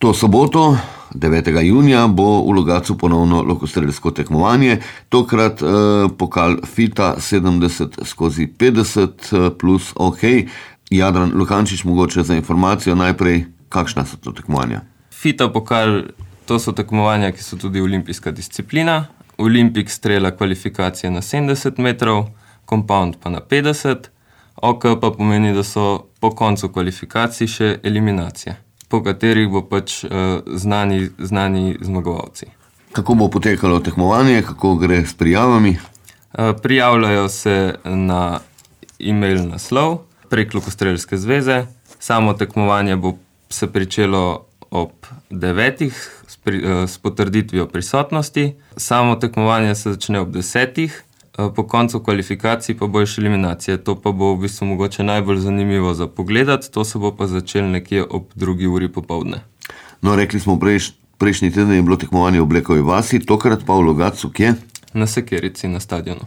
To soboto, 9. junija, bo v Logatcu ponovno lokostrelsko tekmovanje, tokrat pokal FITA 70/50 plus OK. Jadran Lukančič, mogoče za informacijo najprej, kakšna so to tekmovanja? FITA pokal, to so tekmovanja, ki so tudi olimpijska disciplina. Olimpik strela kvalifikacije na 70 metrov, compound pa na 50, OK pa pomeni, da so po koncu kvalifikacij še eliminacije, po katerih bo pač znani zmagovalci. Kako bo potekalo tekmovanje, kako gre s prijavami? Prijavljajo se na e-mail naslov prek Lokostrelske zveze. Samo tekmovanje bo se pričelo ob 9. s potrditvijo prisotnosti. Samo tekmovanje se začne ob 10. Po koncu kvalifikacij pa bo še eliminacije. To pa bo v bistvu mogoče najbolj zanimivo za pogledati, to se bo pa začelo nekje ob 2. uri popoldne. No, rekli smo prejšnji teden je bilo tekmovanje v Blekovi vasi, tokrat pa v Logatcu kje? Na Sekerici, na stadionu.